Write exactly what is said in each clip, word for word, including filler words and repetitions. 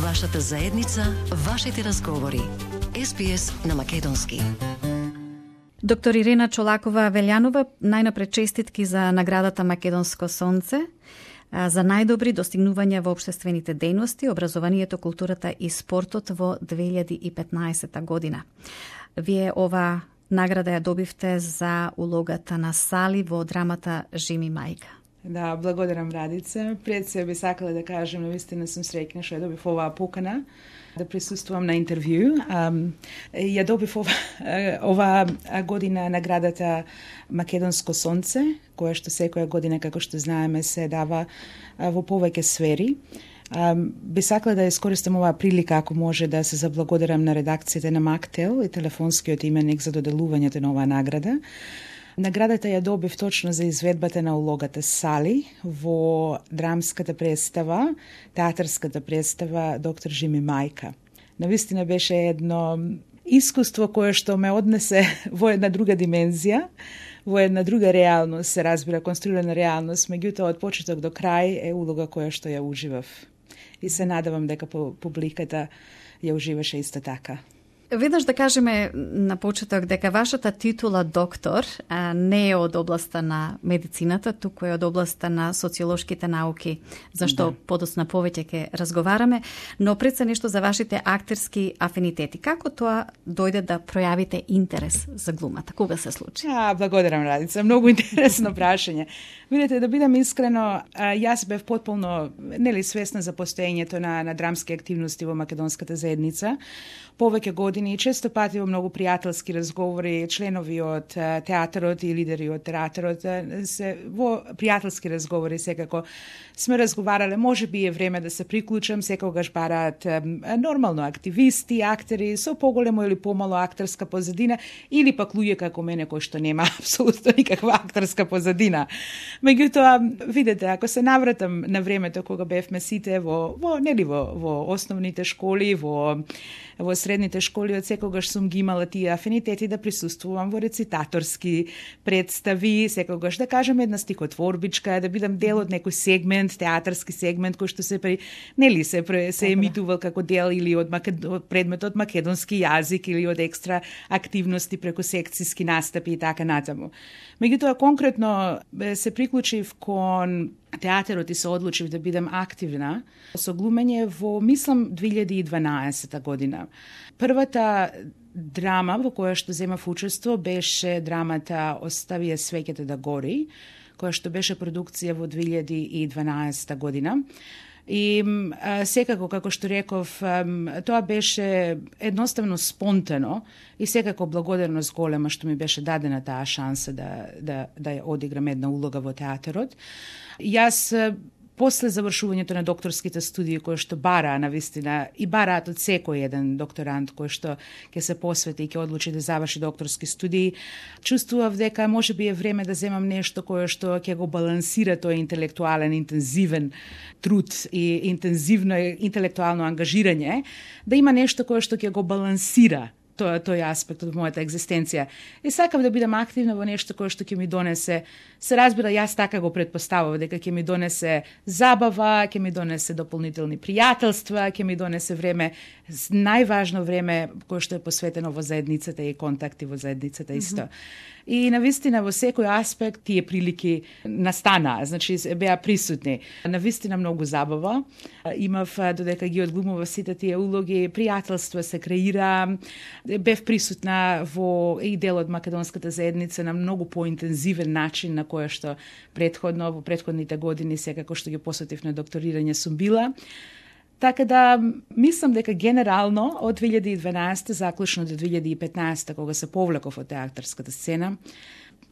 Вашата заедница, вашите разговори. Ес Би Ес на македонски. Доктор Ирена Чолакова-Велјанова, најнапред честитки за наградата Македонско сонце, за најдобри достигнувања во општествените дејности, образованието, културата и спортот во две илјади и петнаесетта година. Вие ова награда ја добивте за улогата на Сали во драмата Жими мајка. Да, благодарам, Радица. Пред се би сакала да кажем, навистина сум среќна што ја добив оваа покана да присуствувам на интервју. Um, ја добив ова, ова година наградата Македонско сонце, која што секоја година, како што знаеме, се дава во повеќе сфери. Um, би сакала да искористам оваа прилика, ако може, да се заблагодарам на редакцијата на Мактел и телефонскиот именик за доделувањето на оваа награда. Наградата ја добив точно за изведбата на улогата Сали во драмската представа, театарската представа Доктор Жими мајка. Навистина беше едно искуство кое што ме однесе во една друга димензија, во една друга реалност, се разбира, конструирана реалност, меѓутоа од почеток до крај е улога која што ја уживав. И се надевам дека публиката ја уживаше исто така. Веднаш да кажеме на почеток дека вашата титула доктор а, не е од областа на медицината, туку е од областа на социолошките науки, зашто да. Подоцна повеќе ќе разговараме, но пред се нешто за вашите актерски афинитети. Како тоа дојде да пројавите интерес за глумата? Кога се случи? А, благодарам, Радица. Многу интересно прашање. Видете, да бидам искрено, јас бев потполно нели свесна за постоењето на, на драмски активности во македонската заедница. Повеќе години и често пати во многу пријателски разговори, членови од театарот и лидери од театарот се во пријателски разговори секако сме разговарале, може би е време да се приклучам, секогаш бараат нормално активисти, актери со поголемо или помало актерска позадина или пак луѓе како мене кои што нема апсолутно никаква актерска позадина. Меѓутоа, видете, ако се навратам на времето кога бевме сите во во нели во во основните школи, во во средните школи, од секогаш сум ги имала тие афинитети да присуствувам во рецитаторски представи, секогаш да кажам една стихотворбичка, да бидам дел од некој сегмент, театарски сегмент кој што се при нели се се емитувал како дел или од, макед... од предметот македонски јазик или од екстра активности преку секцијски настапи и така натаму. Меѓутоа конкретно се приклучив кон театарот и се одлучив да бидам активна со глумење во, мислам, две илјади и дванаесетта година. Првата драма во која што земав учество беше драмата Остави ја свеќето да гори, која што беше продукција во две илјади и дванаесетта година. И а, секако, како што реков, а, тоа беше едноставно спонтано и секако благодарност голема што ми беше дадена таа шанса да, да, да ја одиграм една улога во театарот. Јас после завршувањето на докторските студии кои што бараа навистина и бараат од секој еден докторант кој што ќе се посвети и ќе одлучи да заврши докторски студии, чувствував дека можеби е време да земам нешто кое што ќе го балансира тој интелектуален интензивен труд и интензивно интелектуално ангажирање, да има нешто кое што ќе го балансира тој, тој аспект од мојата екзистенција. И сакав да бидам активна во нешто кое што ќе ми донесе, се разбира, јас така го претпоставував, дека ќе ми донесе забава, ќе ми донесе дополнителни пријателства, ќе ми донесе време, најважно време кое што е посветено во заедницата и контакти во заедницата исто. Mm-hmm. И навистина во секој аспект тие прилики настанаа, значи беа присутни. Навистина многу забава. Имав, додека ги одглумував сите тие улоги, пријателство се креира, бев присутна во и дел од македонската заедница на многу поинтензивен начин на која што претходно во претходните години секако што ги посветив на докторирање сум била. Така да, мислам дека генерално од две илјади и дванаесетта заклучно до две илјади и петнаесетта, кога се повлеков од театарската сцена,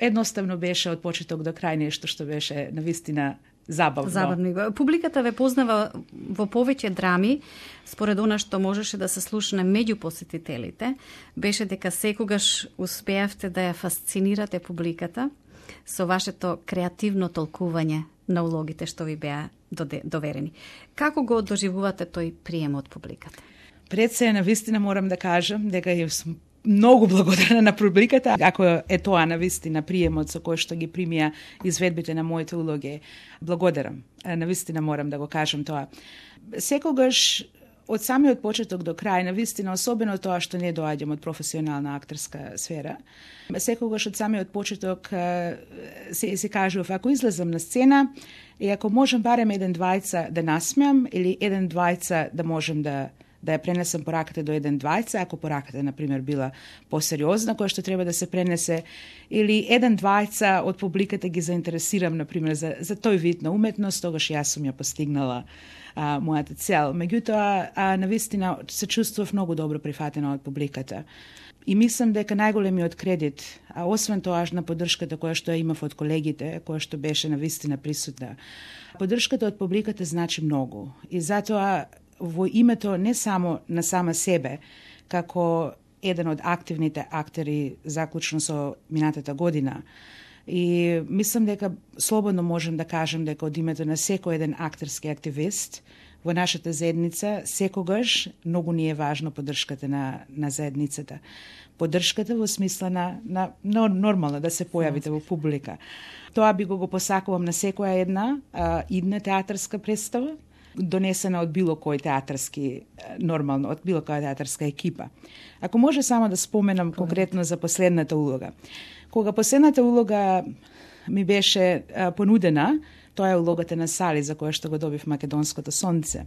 едноставно беше од почеток до крај нешто што беше навистина забавно. Забавно. Публиката ве познава во повеќе драми, според она што можеше да се слушне меѓу посетителите, беше дека секогаш успеавте да ја фасцинирате публиката со вашето креативно толкување на улогите што ви беа доверени. Како го доживувате тој прием од публиката? Пред се, навистина морам да кажам дека ја сум многу благодарна на публиката, ако е тоа навистина приемот со кој што ги примија изведбите на моите улоги. Благодарам. Навистина морам да го кажам тоа. Секогаш од самиот почеток до крај, навистина, особено тоа што не доаѓам од професионална актерска сфера, секогаш од самиот почеток се, се кажува, ако излезам на сцена и ако можем барем еден двајца да насмеам или еден двајца да можем да да ја пренесам пораката до еден двајца, ако пораката, например, била посериозна, која што треба да се пренесе, или еден двајца од публиката ги заинтересирам, например, за, за тој вид на уметност, тогаш јас сум ја постигнала а, мојата цел. Меѓутоа, а, навистина, се чувствував многу добро прифатена од публиката. И мислам дека најголемиот кредит, а освен тоа на поддршката која што ја имав од колегите, која што беше навистина присутна, поддршката од публиката значи многу. И затоа во името не само на сама себе, како еден од активните актери заклучно со минатата година. И мислам дека слободно можем да кажем дека од името на секој еден актерски активист во нашата заедница секогаш многу ни е важно поддршката на, на заедницата. Поддршката во смисла на, на, на нормално да се појавите во публика. Тоа би го го посакувам на секоја една а, идна театарска представа, донесена од било кој театарски, нормално, од било која театарска екипа. Ако може само да споменам конкретно за последната улога. Кога последната улога ми беше а, понудена, тоа е улогата на Сали, за која што го добив Македонското сонце.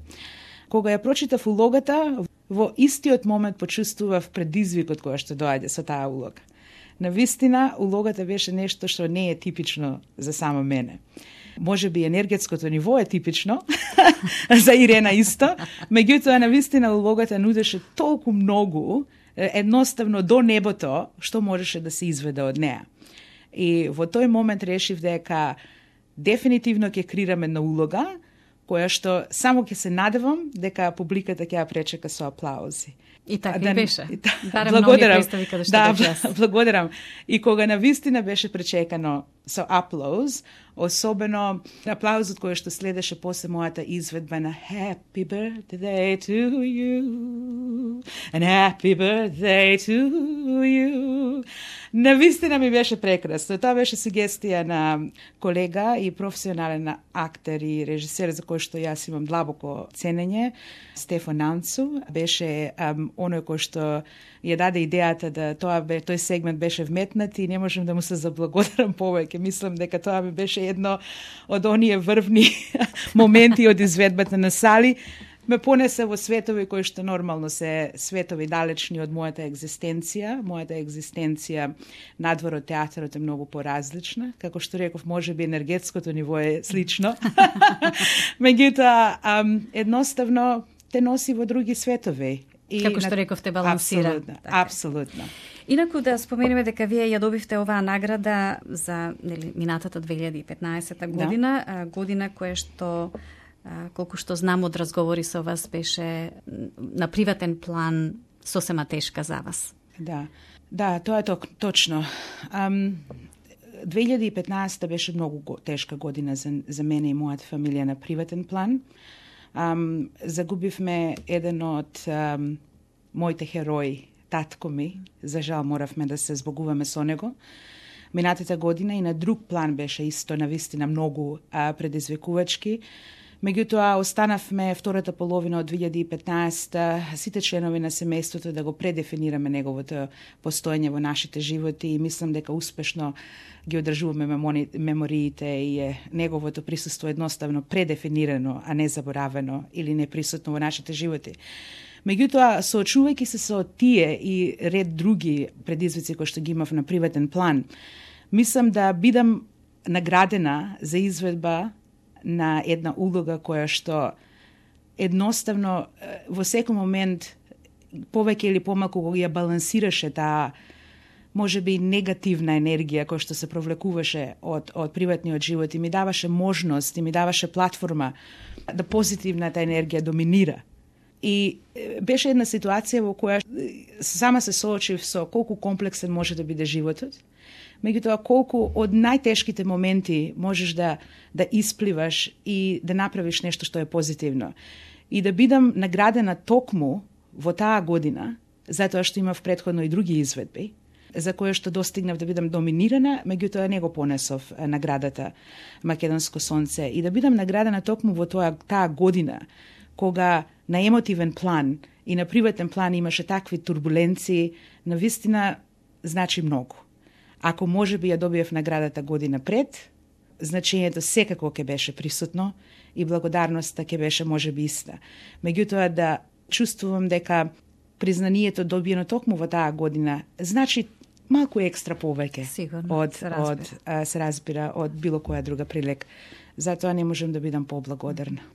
Кога ја прочитав улогата, во истиот момент почувствував предизвикот која што доаѓа со таа улога. Навистина, улогата беше нешто што не е типично за само мене. Може би енергетското ниво е типично, за Ирена исто, меѓутоа навистина улогата нудеше толку многу, едноставно до небото, што можеше да се изведе од неа. И во тој момент решив дека дефинитивно ќе креирам една улога, која што само ќе се надевам дека публиката ќе ја пречека со аплаузи. И така да, и беше. Да, благодарам. Да, благодарам. И кога навистина беше пречекано со аплауз, особено аплаузот кој што следеше после мојата изведба на Happy birthday to you and happy birthday to you. Навистина ми беше прекрасно. Тоа беше сугестија на колега и професионален актер и режисер за кој што јас имам длабоко ценење, Стефан Нанцу. Беше um, оној кој што ја даде идејата да тоа бе, тој сегмент беше вметнат и не можам да му се заблагодарам повеќе. Мислам дека тоа ми беше едно од оние врвни моменти од изведбата на Сали. Ме понесе во светови кои што нормално се светови далечни од мојата екзистенција. Мојата екзистенција надвор од театарот е многу поразлична. Како што реков, може би енергетското ниво е слично. Меѓутоа, едноставно те носи во други светови. И како што реков, те балансира. Апсолутно, така. Апсолутно. Инаку да споменеме дека вие ја добивте оваа награда за нели, минатата две илјади и петнаесета година, да. Година која што, колку што знам од разговори со вас, беше на приватен план сосема тешка за вас. Да, да, тоа е ток, точно. Um, две илјади и петнаесета беше многу тешка година за, за мене и мојата фамилија на приватен план. Um, загубивме еден од um, моите херои, татко ми, за жал моравме да се збогуваме со него. Минатата година и на друг план беше исто навистина многу а, предизвикувачки. Меѓутоа, останавме втората половина од две илјади и петнаесета сите членови на семејството да го предефинираме неговото постоење во нашите животи и мислам дека успешно ги одржуваме мемориите и е неговото присуство едноставно предефинирано, а не заборавено или неприсутно во нашите животи. Меѓутоа, соочувајќи се со тие и ред други предизвици кои што ги имав на приватен план, мислам да бидам наградена за изведба на една улога која што едноставно во секој момент повеќе или помалку го ја балансираше таа можеби негативна енергија која што се провлекуваше од, од приватниот живот и ми даваше можност и ми даваше платформа да позитивната енергија доминира. И беше една ситуација во која сама се соочив со колку комплексен може да биде животот, меѓутоа колку од најтешките моменти можеш да, да испливаш и да направиш нешто што е позитивно. И да бидам наградена токму во таа година, затоа што имав претходно и други изведби, за кое што достигнав да бидам доминирана, меѓутоа не го понесов наградата Македонско сонце. И да бидам наградена токму во тоа, таа година, кога на емотивен план и на приватен план имаше такви турбуленции, навистина значи многу. Ако може би ја добиев наградата година пред, значењето секако ќе беше присутно и благодарноста ќе беше може би иста. Меѓутоа да чувствувам дека признанието добиено токму во таа година значи малку екстра повеќе Сигурно, од, се разбира. од а, се разбира од било која друга прилика. Затоа не можем да бидам поблагодарна.